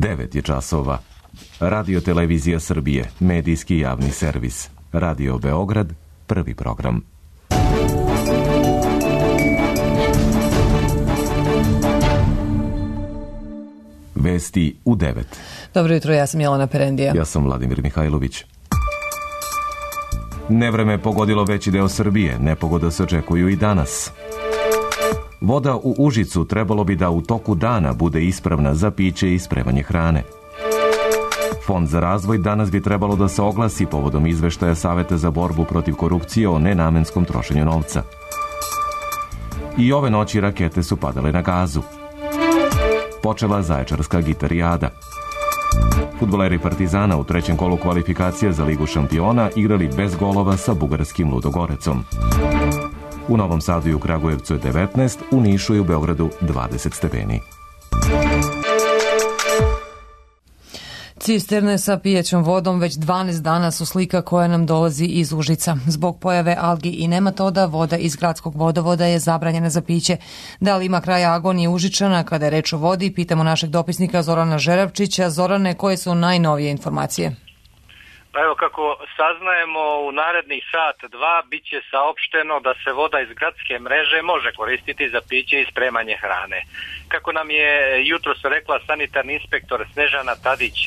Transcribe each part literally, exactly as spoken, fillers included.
devet je časova. Radio Televizija Srbije, medijski javni servis. Radio Beograd, prvi program. Vesti u devet. Dobro jutro, ja sam Jelena Perendija. Ja sam Vladimir Mihajlović. Nevreme pogodilo veći deo Srbije, nepogoda se očekuju i danas. Voda u Užicu trebalo bi da u toku dana bude ispravna za piće i spremanje hrane. Fond za razvoj danas bi trebalo da se oglasi povodom izveštaja Saveta za borbu protiv korupcije o nenamenskom trošenju novca. I ove noći rakete su padale na Gazu. Počela Zaječarska gitarijada. Fudbaleri Partizana u trećem kolu kvalifikacije za Ligu šampiona igrali bez golova sa bugarskim Ludogorecom. U Novom Sadu i u Kragujevcu je devetnaest, u Nišu i u Beogradu dvadeset stepeni. Cisterne sa pijećom vodom već dvanaest dana su slika koja nam dolazi iz Užica. Zbog pojave algi i nematoda, voda iz gradskog vodovoda je zabranjena za piće. Da li ima kraja agonije Užičana kada je reč o vodi, pitamo našeg dopisnika Zorana Žerevčića. Zorane, koje su najnovije informacije? Pa evo, kako saznajemo, u narednih sat, dva, bit će saopšteno da se voda iz gradske mreže može koristiti za piće i spremanje hrane. Kako nam je jutros rekla sanitarni inspektor Snežana Tadić,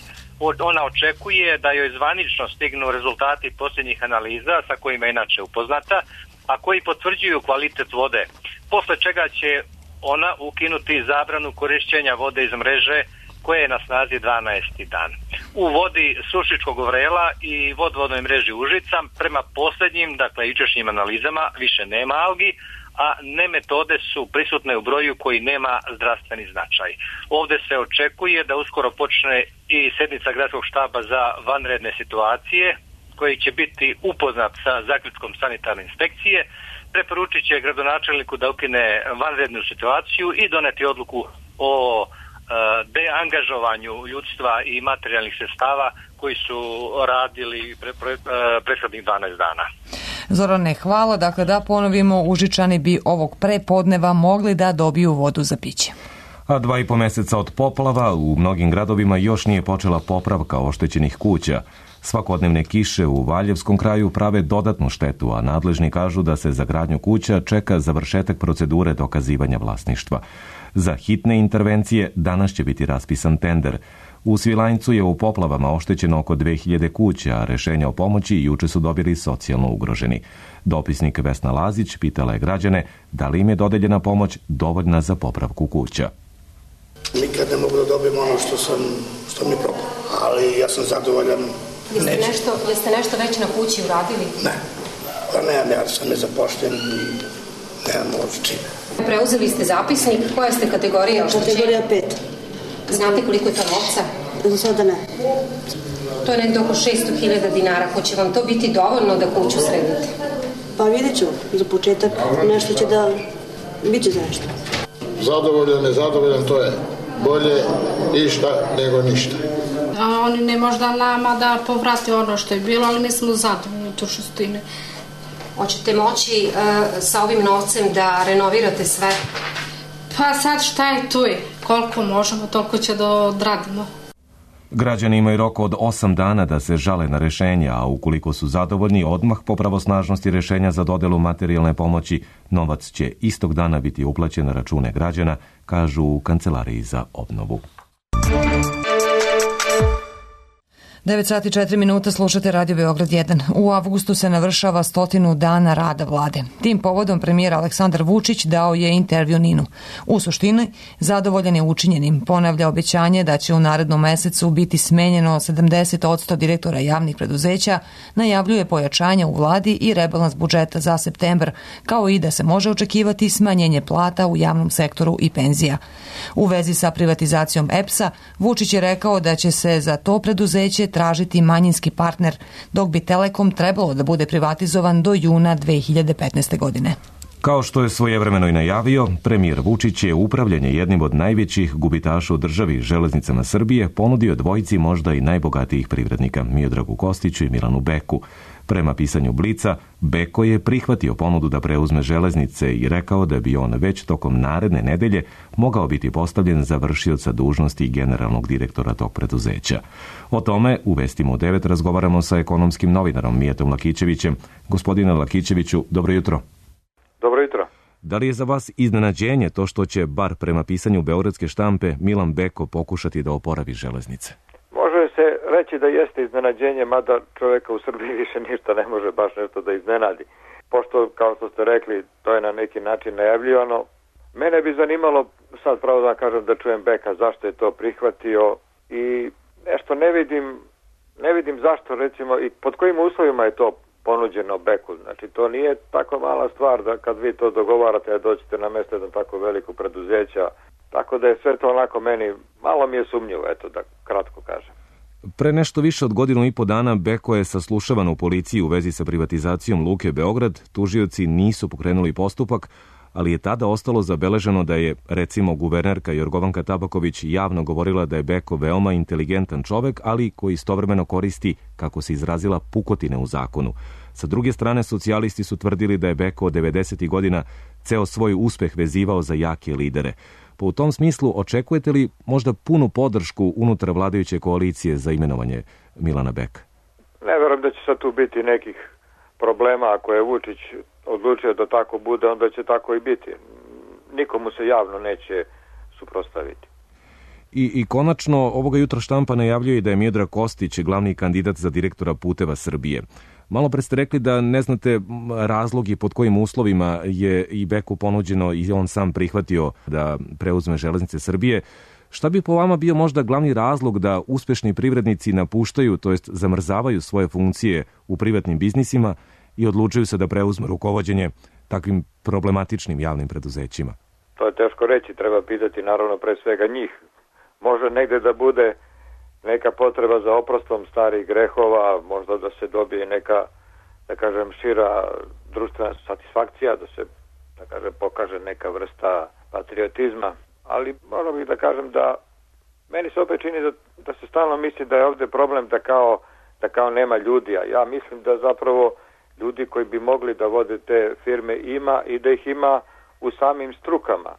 ona očekuje da joj zvanično stignu rezultati posljednjih analiza sa kojima je inače upoznata, a koji potvrđuju kvalitet vode, posle čega će ona ukinuti zabranu korišćenja vode iz mreže koje je na snazi dvanaesti dan. U vodi Sušičkog vrela i vodovodnoj mreži Užica prema posljednjim, dakle jučerašnjim analizama, više nema algi, a nemetode su prisutne u broju koji nema zdravstveni značaj. Ovdje se očekuje da uskoro počne i sjednica gradskog štaba za vanredne situacije, koji će biti upoznat sa zaključkom sanitarne inspekcije, preporučit će gradonačelniku da ukine vanrednu situaciju i doneti odluku o deangažovanju ljudstva i materijalnih sredstava koji su radili pre, pre, prethodnih dvanaest dana. Zorane, hvala. Dakle, da ponovimo, Užičani bi ovog prepodneva mogli da dobiju vodu za piće. A dva i po meseca od poplava u mnogim gradovima još nije počela popravka oštećenih kuća. Svakodnevne kiše u Valjevskom kraju prave dodatnu štetu, a nadležni kažu da se za gradnju kuća čeka završetak procedure dokazivanja vlasništva. Za hitne intervencije danas će biti raspisan tender. U Svilajncu je u poplavama oštećeno oko dve hiljade kuća, a rešenja o pomoći juče su dobili socijalno ugroženi. Dopisnik Vesna Lazić pitala je građane da li im je dodeljena pomoć dovoljna za popravku kuća. Nikad ne mogu da dobijem ono što, sam, što mi propao, ali ja sam zadovoljan. Jeste nešto, jeste nešto već na kući uradili? Ne, pa nemam, ja sam nezapošljen i nemam ovdje čine. Preuzeli ste zapisnik, koja ste kategorija oštećenja? Kategorija pet. Znate koliko je to novca? Za sada ne. To je nekdo oko šesto hiljada dinara. Hoće vam to biti dovoljno da kuću sredite? Pa vidjet ću, za početak nešto će da... Biće za nešto. Zadovoljan, nezadovoljan, to je bolje išta nego ništa. A oni ne možda nama da povrati ono što je bilo, ali mi smo zadovoljni u suštini. Hoćete moći uh, sa ovim novcem da renovirate sve? Pa sad šta je tu je? Koliko možemo, toliko će da odradimo. Građani imaju rok od osam dana da se žale na rešenja, a ukoliko su zadovoljni odmah po pravosnažnosti rešenja za dodelu materijalne pomoći, novac će istog dana biti uplaćen na račune građana, kažu u Kancelariji za obnovu. devet sati četiri minuta, slušate Radio Beograd jedan. U avgustu se navršava stotinu dana rada vlade. Tim povodom premijer Aleksandar Vučić dao je intervju Ninu. U suštini, zadovoljan je učinjenim. Ponavlja obećanje da će u narednom mesecu biti smenjeno sedamdeset posto direktora javnih preduzeća, najavljuje pojačanje u vladi i rebalans budžeta za septembar, kao i da se može očekivati smanjenje plata u javnom sektoru i penzija. U vezi sa privatizacijom E P S-a, Vučić je rekao da će se za to preduzeće tražiti manjinski partner, dok bi Telekom trebalo da bude privatizovan do juna dve hiljade petnaeste. godine. Kao što je svojevremeno i najavio, premijer Vučić je upravljanje jednim od najvećih gubitaša u državi, Železnicama Srbije, ponudio dvojici možda i najbogatijih privrednika, Miodragu Kostiću i Milanu Beku. Prema pisanju Blica, Beko je prihvatio ponudu da preuzme železnice i rekao da bi on već tokom naredne nedelje mogao biti postavljen za vršioca dužnosti generalnog direktora tog preduzeća. O tome u Vestima u devet razgovaramo sa ekonomskim novinarom Mijatom Lakićevićem. Gospodine Lakićeviću, dobro jutro. Dobro jutro. Da li je za vas iznenađenje to što će, bar prema pisanju beogradske štampe, Milan Beko pokušati da oporavi železnice? Može se reći da jeste iznenađenje, mada čovjeka u Srbiji više ništa ne može baš nešto da iznenadi. Pošto, kao što ste rekli, to je na neki način najavljivano. Mene bi zanimalo, sad pravo da kažem, da čujem Beka zašto je to prihvatio i nešto ne vidim, ne vidim zašto, recimo, i pod kojim uslovima je to ponuđeno Beku. Znači, to nije tako mala stvar da kad vi to dogovarate da dođete na mesto jednom tako veliko preduzeća. Tako da je sve to onako meni, malo mi je sumnjivo, eto da kratko kažem. Pre nešto više od godinu i po dana Beko je saslušavan u policiji u vezi sa privatizacijom Luke Beograd. Tužioci nisu pokrenuli postupak, ali je tada ostalo zabeleženo da je, recimo, guvernerka Jorgovanka Tabaković javno govorila da je Beko veoma inteligentan čovek, ali koji istovremeno koristi, kako se izrazila, pukotine u zakonu. Sa druge strane, socijalisti su tvrdili da je Beko od devedesetih godina ceo svoj uspeh vezivao za jake lidere. Pa u tom smislu očekujete li možda punu podršku unutar vladajuće koalicije za imenovanje Milana Beka? Ne verujem da će sad tu biti nekih problema. Ako je Vučić odlučio da tako bude, onda će tako i biti. Nikomu se javno neće suprotstaviti. I, I konačno, ovoga jutra štampa najavljuje da je Miodrag Kostić glavni kandidat za direktora Puteva Srbije. Malo pre ste rekli da ne znate razlogi pod kojim uslovima je i Beku ponuđeno i on sam prihvatio da preuzme železnice Srbije. Šta bi po vama bio možda glavni razlog da uspešni privrednici napuštaju, to jest zamrzavaju svoje funkcije u privatnim biznisima i odlučuju se da preuzme rukovođenje takvim problematičnim javnim preduzećima? To je teško reći, treba pitati naravno pre svega njih. Može negde da bude neka potreba za oprostom starih grehova, možda da se dobije neka, da kažem, šira društvena satisfakcija, da se, da kažem, pokaže neka vrsta patriotizma. Ali moram bih da kažem da meni se opet čini da, da se stalno misli da je ovde problem da kao, da kao nema ljudi, a ja mislim da zapravo ljudi koji bi mogli da vode te firme ima i da ih ima u samim strukama,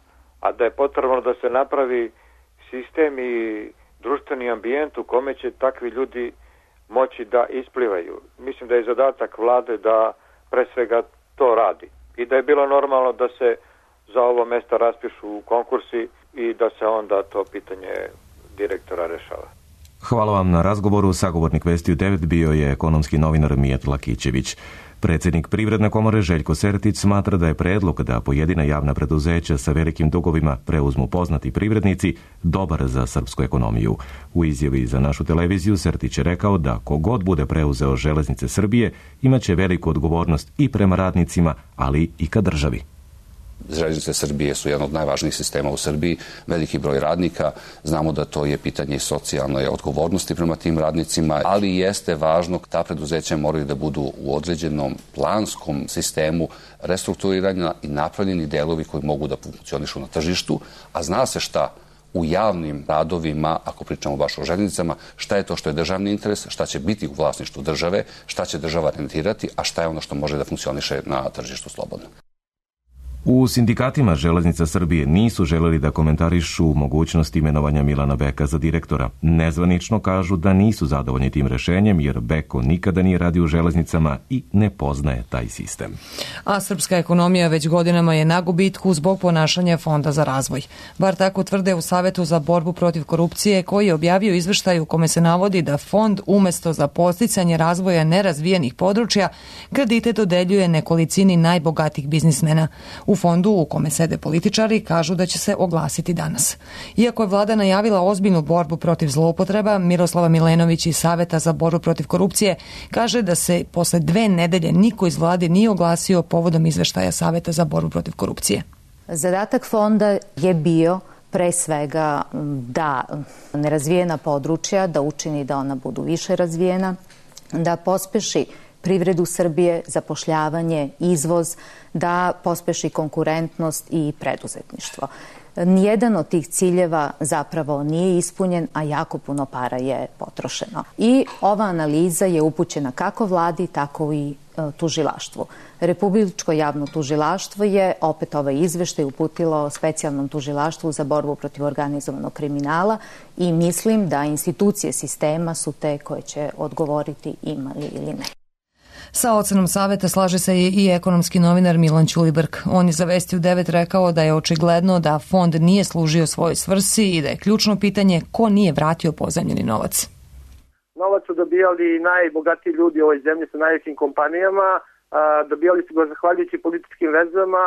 a da je potrebno da se napravi sistem i društveni ambijent u kome će takvi ljudi moći da isplivaju. Mislim da je zadatak vlade da pre svega to radi i da je bilo normalno da se za ovo mesto raspišu konkursi i da se onda to pitanje direktora rešava. Hvala vam na razgovoru. Sagovornik Vesti u devet bio je ekonomski novinar Mijat Lakićević. Predsjednik Privredne komore Željko Sertić smatra da je predlog da pojedina javna preduzeća sa velikim dugovima preuzmu poznati privrednici dobar za srpsku ekonomiju. U izjavi za našu televiziju Sertić je rekao da kogod bude preuzeo železnice Srbije imaće veliku odgovornost i prema radnicima, ali i ka državi. Železnice Srbije su jedan od najvažnijih sistema u Srbiji, veliki broj radnika, znamo da to je pitanje i socijalne odgovornosti prema tim radnicima, ali jeste važno, ta preduzeća moraju da budu u određenom planskom sistemu restrukturiranja i napravljeni delovi koji mogu da funkcionišu na tržištu, a zna se šta u javnim radovima, ako pričamo baš o železnicama, šta je to što je državni interes, šta će biti u vlasništvu države, šta će država rentirati, a šta je ono što može da funkcioniše na tržištu slobodno. U sindikatima Železnica Srbije nisu želeli da komentarišu mogućnost imenovanja Milana Beka za direktora. Nezvanično kažu da nisu zadovoljni tim rešenjem jer Beko nikada nije radio u železnicama i ne poznaje taj sistem. A srpska ekonomija već godinama je na gubitku zbog ponašanja Fonda za razvoj. Bar tako tvrde u Savetu za borbu protiv korupcije koji je objavio izveštaj u kome se navodi da fond umesto za podsticanje razvoja nerazvijenih područja kredite dodeljuje nekolicini najbogatijih biznismena. U fondu u kome sede političari kažu da će se oglasiti danas. Iako je vlada najavila ozbiljnu borbu protiv zloupotreba, Miroslava Milenović iz Saveta za borbu protiv korupcije kaže da se posle dve nedelje niko iz vlade nije oglasio povodom izveštaja Saveta za borbu protiv korupcije. Zadatak fonda je bio pre svega da nerazvijena područja, da učini da ona budu više razvijena, da pospeši privredu Srbije, zapošljavanje, izvoz, da pospeši konkurentnost i preduzetništvo. Nijedan od tih ciljeva zapravo nije ispunjen, a jako puno para je potrošeno. I ova analiza je upućena kako vladi, tako i tužilaštvu. Republičko javno tužilaštvo je opet ovaj izveštaj uputilo specijalnom tužilaštvu za borbu protiv organizovanog kriminala i mislim da institucije sistema su te koje će odgovoriti imali ili ne. Sa ocenom saveta slaže se i ekonomski novinar Milan Ćulibrk. On je za Vesti u devet rekao da je očigledno da fond nije služio svojoj svrsi i da je ključno pitanje ko nije vratio pozajmljeni novac. Novac su dobijali najbogatiji ljudi u ovoj zemlji sa najvećim kompanijama, dobijali su ga zahvaljujući političkim vezama.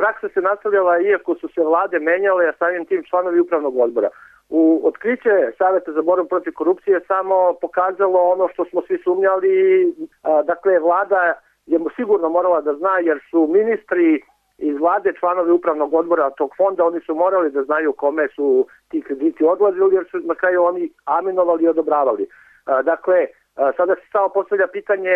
Praksa se nastavljala iako su se vlade menjale, a samim tim članovi upravnog odbora. U otkriće Saveta za borbu protiv korupcije samo pokazalo ono što smo svi sumnjali. Dakle, vlada je sigurno morala da zna jer su ministri iz vlade članovi upravnog odbora tog fonda, oni su morali da znaju kome su ti krediti odlazili jer su na kraju oni aminovali i odobravali. Dakle, sada se samo postavlja pitanje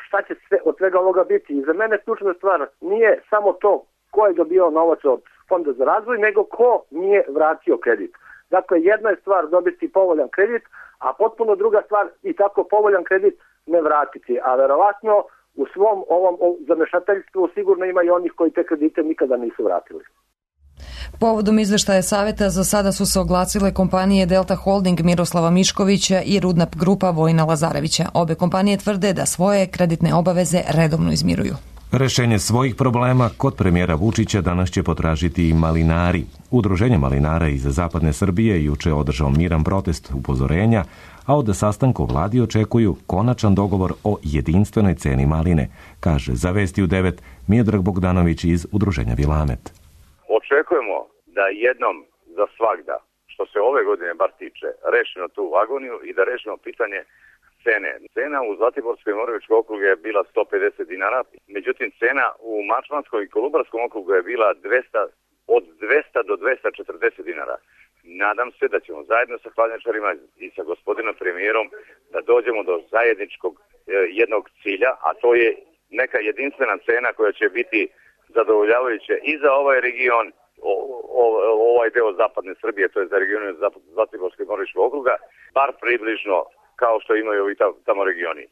šta će sve od svega ovoga biti. I za mene ključna stvar nije samo to ko je dobio novac od Fonda za razvoj, nego ko nije vratio kredit. Dakle, jedna je stvar dobiti povoljan kredit, a potpuno druga stvar i tako povoljan kredit ne vratiti. A verovatno u svom ovom zamešateljstvu sigurno ima i onih koji te kredite nikada nisu vratili. Povodom izveštaja Saveta za sada su se oglasile kompanije Delta Holding Miroslava Miškovića i Rudnap Grupa Vojina Lazarevića. Obe kompanije tvrde da svoje kreditne obaveze redovno izmiruju. Rešenje svojih problema kod premijera Vučića danas će potražiti i malinari. Udruženje malinara iz zapadne Srbije juče je održao miran protest upozorenja, a od sastanka u vladi očekuju konačan dogovor o jedinstvenoj ceni maline, kaže za Vesti u devet Miodrag Bogdanović iz Udruženja Vilamet. Očekujemo da jednom za svagda, što se ove godine bar tiče, rešimo tu agoniju i da rešimo pitanje cene. Cena u Zlatiborskoj i Moravičkom okrugu je bila sto pedeset dinara, međutim cena u Mačvanskom i Kolubarskom okrugu je bila dvesta, od dvesta do dvesta četrdeset dinara. Nadam se da ćemo zajedno sa hladnjačarima i sa gospodinom premijerom da dođemo do zajedničkog e, jednog cilja, a to je neka jedinstvena cena koja će biti zadovoljavajuća i za ovaj region, o, o, ovaj deo zapadne Srbije, to je za region Zlatiborskog i Moravičkog okruga, bar približno kao što imaju i tamo regioni.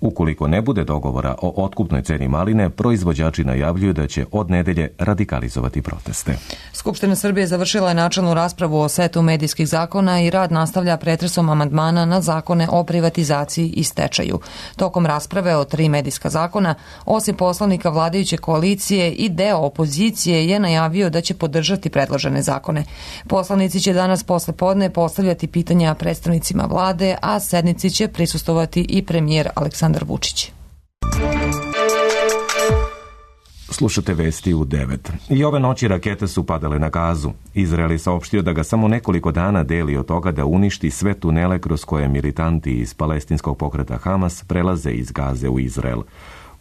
Ukoliko ne bude dogovora o otkupnoj ceni maline, proizvođači najavljuju da će od nedelje radikalizovati proteste. Skupština Srbije završila je načelnu raspravu o setu medijskih zakona i rad nastavlja pretresom amandmana na zakone o privatizaciji i stečaju. Tokom rasprave o tri medijska zakona, osim poslanika vladajuće koalicije i deo opozicije je najavio da će podržati predložene zakone. Poslanici će danas posle podne postavljati pitanja predstavnicima vlade, a sednici će prisustovati i premijer Aleksandar Vučić. Slušate Vesti u devet. I ove noći rakete su padale na Gazu. Izrael je saopštio da ga samo nekoliko dana deli od toga da uništi sve tunele kroz koje militanti iz palestinskog pokreta Hamas prelaze iz Gaze u Izrael.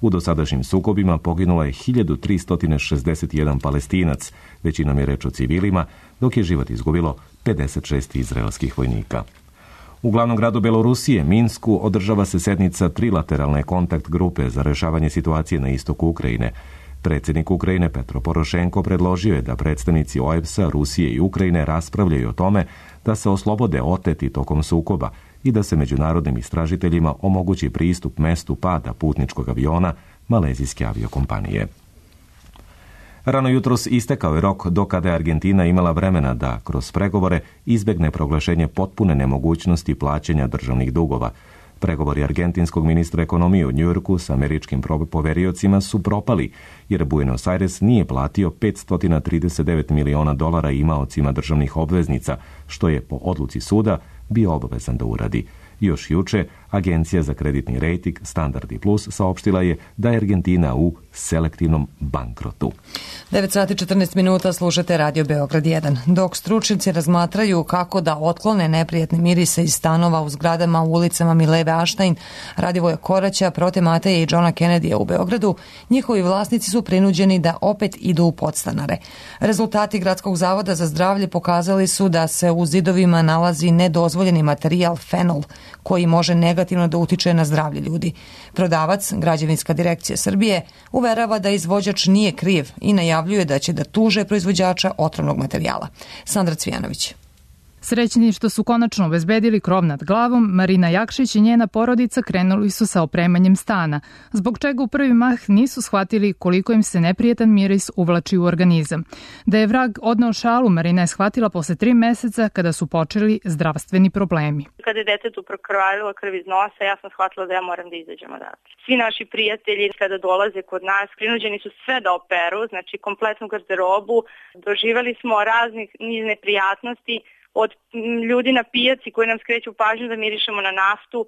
U dosadašnjim sukobima poginulo je hiljadu tristo šezdeset jedan Palestinac, većinom je reč o civilima, dok je život izgubilo pedeset šest izraelskih vojnika. U glavnom gradu Belorusije, Minsku, održava se sednica trilateralne kontakt grupe za rešavanje situacije na istoku Ukrajine. Predsjednik Ukrajine Petro Porošenko predložio je da predstavnici O E B S-a, Rusije i Ukrajine raspravljaju o tome da se oslobode oteti tokom sukoba i da se međunarodnim istražiteljima omogući pristup mestu pada putničkog aviona malezijske aviokompanije. Rano jutros istekao je rok do kada je Argentina imala vremena da, kroz pregovore, izbegne proglašenje potpune nemogućnosti plaćanja državnih dugova. Pregovori argentinskog ministra ekonomije u Njujorku s američkim poveriocima su propali, jer Buenos Aires nije platio petsto trideset devet miliona dolara imaocima državnih obveznica, što je po odluci suda bio obavezan da uradi. Još juče, Agencija za kreditni rejting Standard i Plus saopštila je da je Argentina u selektivnom bankrotu. devet sati četrnaest minuta slušate Radio Beograd jedan. Dok stručnjaci razmatraju kako da otklone neprijatne mirise iz stanova u zgradama u ulicama Mileve Aštajn, Radivoja Koraća, Prote Mateje i Johna Kennedya u Beogradu, njihovi vlasnici su prinuđeni da opet idu u podstanare. Rezultati Gradskog zavoda za zdravlje pokazali su da se u zidovima nalazi nedozvoljeni materijal fenol, koji može negativno negativno da utiče na zdravlje ljudi. Prodavac, Građevinska direkcija Srbije, uverava da izvođač nije kriv i najavljuje da će da tuže proizvođača otrovnog materijala. Sandra Cvijanović. Srećni što su konačno obezbedili krov nad glavom, Marina Jakšić i njena porodica krenuli su sa opremanjem stana, zbog čega u prvi mah nisu shvatili koliko im se neprijetan miris uvlači u organizam. Da je vrag odneo šalu, Marina je shvatila posle tri meseca kada su počeli zdravstveni problemi. Kada je detetu prokrvarilo krv iz nosa, ja sam shvatila da ja moram da izađem odatle. Svi naši prijatelji kada dolaze kod nas, prinuđeni su sve da operu, znači kompletnu garderobu. Doživali smo raznih niz neprijatnosti, od ljudi na pijaci koji nam skreću pažnju da mirišemo na naftu,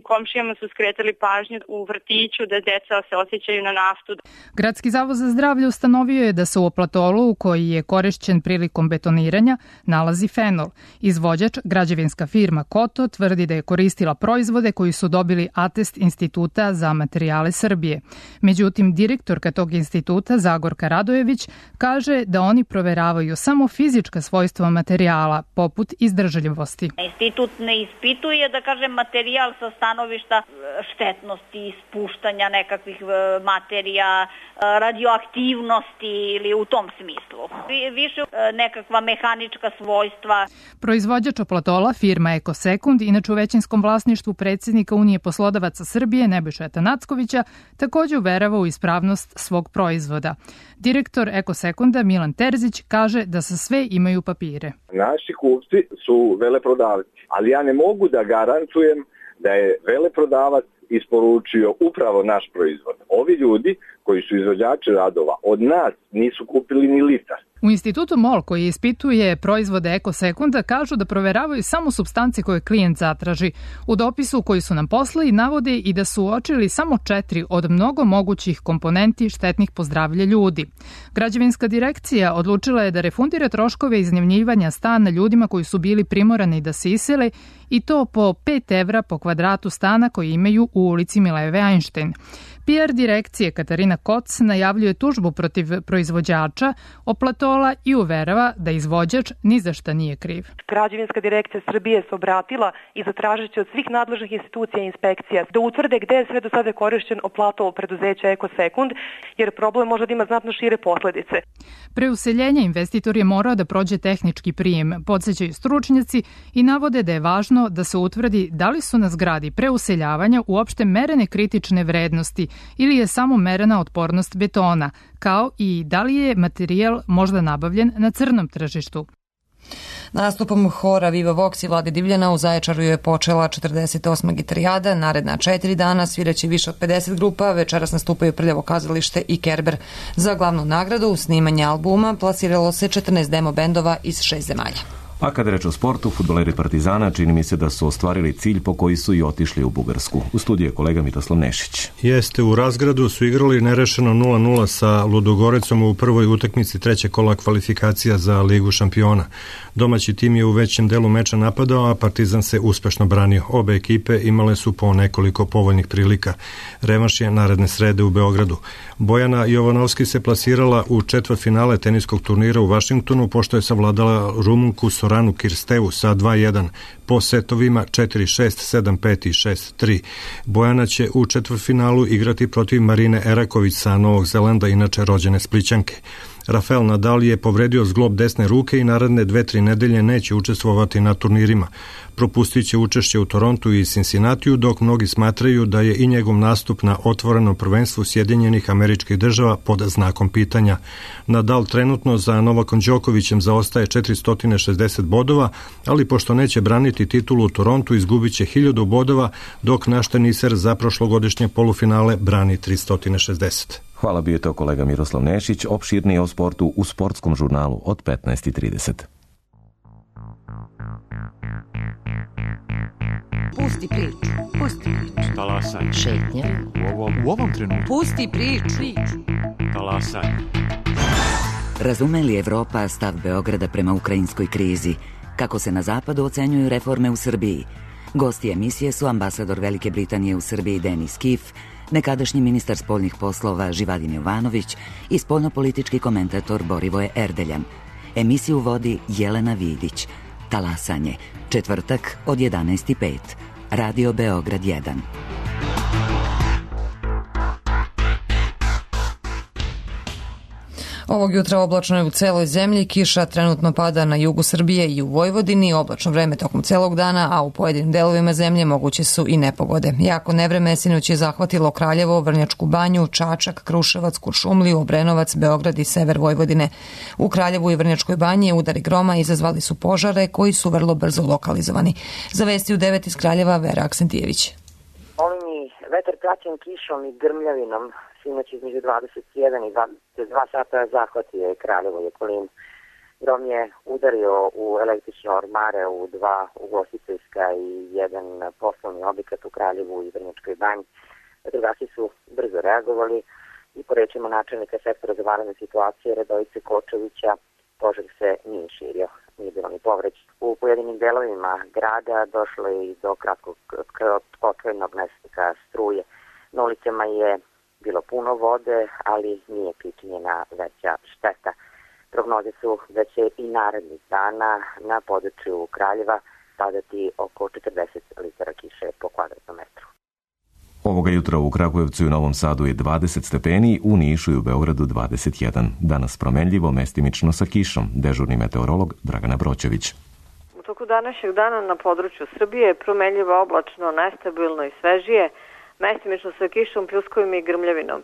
komšijama su skretali pažnju u vrtiću da deca se osjećaju na naftu. Gradski zavod za zdravlje ustanovio je da se u oplatolu koji je korišćen prilikom betoniranja nalazi fenol. Izvođač, građevinska firma Koto, tvrdi da je koristila proizvode koji su dobili atest Instituta za materijale Srbije. Međutim, direktorka tog instituta, Zagorka Radojević, kaže da oni proveravaju samo fizička svojstva materijala, poput izdržljivosti. Institut ne ispituje, da kažem, materijal sa stanovišta štetnosti, ispuštanja nekakvih materija, radioaktivnosti ili u tom smislu. Više nekakva mehanička svojstva. Proizvođač oplatola, firma Ekosekund, inače u većinskom vlasništvu predsjednika Unije poslodavaca Srbije Nebojše Tanackovića, također uverava u ispravnost svog proizvoda. Direktor Ekosekunda Milan Terzić kaže da sa sve imaju papire. Naši kupci su veleprodavci, ali ja ne mogu da garantujem da je veleprodavac isporučio upravo naš proizvod. Ovi ljudi koji su izvođači radova od nas nisu kupili ni litar. U institutu MOL koji ispituje proizvode Ekosekunda kažu da proveravaju samo supstance koje klijent zatraži. U dopisu koji su nam poslali navode i da su uočili samo četiri od mnogo mogućih komponenti štetnih po zdravlje ljudi. Građevinska direkcija odlučila je da refundira troškove iznajmljivanja stana ljudima koji su bili primorani da se isele i to po pet evra po kvadratu stana koji imaju u ulici Mileve Einstein. P R direkcije Katarina Koc najavljuje tužbu protiv proizvođača oplatola i uverava da izvođač ni za šta nije kriv. Građevinska direkcija Srbije se obratila i zatražit će od svih nadležnih institucija i inspekcija da utvrde gde je sve do sada korišćen oplatol preduzeća Ekosekund, jer problem može da ima znatno šire posledice. Pre useljenja investitor je morao da prođe tehnički prijem, podsjećaju stručnjaci i navode da je važno da se utvrdi da li su na zgradi pre useljavanja uopšte merene kritične vrednosti ili je samo merena otpornost betona, kao i da li je materijal možda nabavljen na crnom tržištu. Nastupom hora Viva Vox i Vlade Divljana u Zaječaru je počela četrdeset osma gitarijada. Naredna četiri dana sviraće više od pedeset grupa. Večeras nastupaju Prljavo kazalište i Kerber. Za glavnu nagradu u snimanje albuma plasiralo se četrnaest demo bendova iz šest zemalja. A kada reč o sportu, fudbaleri Partizana čini mi se da su ostvarili cilj po koji su i otišli u Bugarsku. U studiju je kolega Miroslav Nešić. Jeste, u Razgradu su igrali nerešeno nula nula sa Ludogorecom u prvoj utakmici trećeg kola kvalifikacija za Ligu šampiona. Domaći tim je u većem delu meča napadao, a Partizan se uspešno branio. Obe ekipe imale su po nekoliko povoljnih prilika. Revanš je naredne srede u Beogradu. Bojana Jovanovski se plasirala u četvrtfinale teniskog turnira u Vašingtonu, pošto je savladala Rumunku Soranu Kirstevu sa dva jedan po setovima četiri šest, sedam pet i šest tri. Bojana će u četvrtfinalu igrati protiv Marine Eraković sa Novog Zelanda, inače rođene Splićanke. Rafael Nadal je povredio zglob desne ruke i naredne dve, tri nedelje neće učestvovati na turnirima. Propustit će učešće u Torontu i Cincinnatiju, dok mnogi smatraju da je i njegov nastup na otvorenom prvenstvu Sjedinjenih Američkih Država pod znakom pitanja. Nadal trenutno za Novakom Đokovićem zaostaje četiristo šezdeset bodova, ali pošto neće braniti titulu u Torontu, izgubit će hiljadu bodova, dok naš teniser za prošlogodišnje polufinale brani tristo šezdeset. Hvala, bio je to kolega Miroslav Nešić, opširnije o sportu u sportskom žurnalu od petnaest i trideset. Pusti priču, pusti priču. Talasaj. Šetnja. U ovom, u ovom trenutku. Pusti priču. Talasaj. Razume li Evropa stav Beograda prema ukrajinskoj krizi? Kako se na zapadu ocenjuju reforme u Srbiji? Gosti emisije su ambasador Velike Britanije u Srbiji Denis Kif, nekadašnji ministar spoljnih poslova Živadin Jovanović i spoljnopolitički komentator Borivoje Erdeljan. Emisiju vodi Jelena Vidić. Talasanje, četvrtak od jedanaest i pet. Radio Beograd jedan. Ovog jutra oblačno je u celoj zemlji, kiša trenutno pada na jugu Srbije i u Vojvodini, oblačno vreme tokom celog dana, a u pojedinim delovima zemlje moguće su i nepogode. Jako nevreme sinoć je zahvatilo Kraljevo, Vrnjačku banju, Čačak, Kruševac, Kuršumliju, Obrenovac, Beograd i sever Vojvodine. U Kraljevu i Vrnjačkoj banji udari groma izazvali su požare koji su vrlo brzo lokalizovani. Za vesti u devet iz Kraljeva, Vera Aksentijević. Olujni vetar praćen kišom i grmljavinom sinoć između dvadeset jedan i dvadeset dva sata zahvatio je Kraljevo i okolinu. Grom je udario u električne ormare u dva ugostiteljska i jedan poslovni objekat u Kraljevu i Vrnjačkoj banji. Vatrogasci su brzo reagovali i po rečima načelnika sektora za vanredne situacije Radojice Kočevića požar se nije širio, nije bilo ni povređen. U pojedinim delovima grada došlo je i do kratkog kratkotrajnog nestanka struje. Na ulicama je bilo puno vode, ali nije pričinjena veća šteta. Prognoze su da će i narednih dana na području Kraljeva padati oko četrdeset litara kiše po kvadratnom metru. Ovoga jutra u Kragujevcu i u Novom Sadu je dvadeset stepeni, u Nišu i u Beogradu dvadeset jedan. Danas promenljivo, mestimično sa kišom. Dežurni meteorolog Dragana Broćević. U toku današnjeg dana na području Srbije je promenljivo, oblačno, nestabilno i svežije, mestimično sa kišom, pljuskovima i grmljavinom.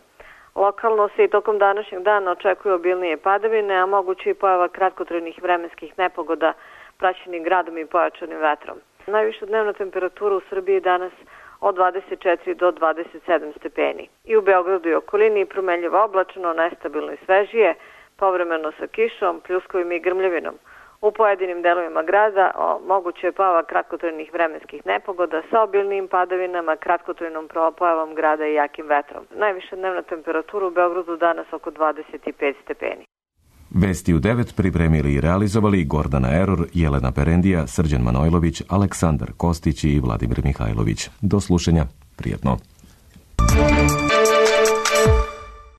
Lokalno se i tokom današnjeg dana očekuju obilnije padavine, a moguće i pojava kratkotrajnih vremenskih nepogoda praćenih gradom i pojačanim vetrom. Najviša dnevna temperatura u Srbiji danas od dvadeset četiri do dvadeset sedam stepeni. I u Beogradu i okolini promenljivo, oblačno, nestabilno i svežije, povremeno sa kišom, pljuskovima i grmljavinom. U pojedinim delovima grada o, moguće je pojava kratkotrajnih vremenskih nepogoda sa obilnim padavinama, kratkotrajnom pojavom grada i jakim vetrom. Najviša dnevna temperatura u Beogradu danas oko dvadeset pet stepeni. Vesti u devet pripremili i realizovali Gordana Eror, Jelena Perendija, Srđan Manojlović, Aleksandar Kostić i Vladimir Mihajlović. Do slušanja. Prijetno.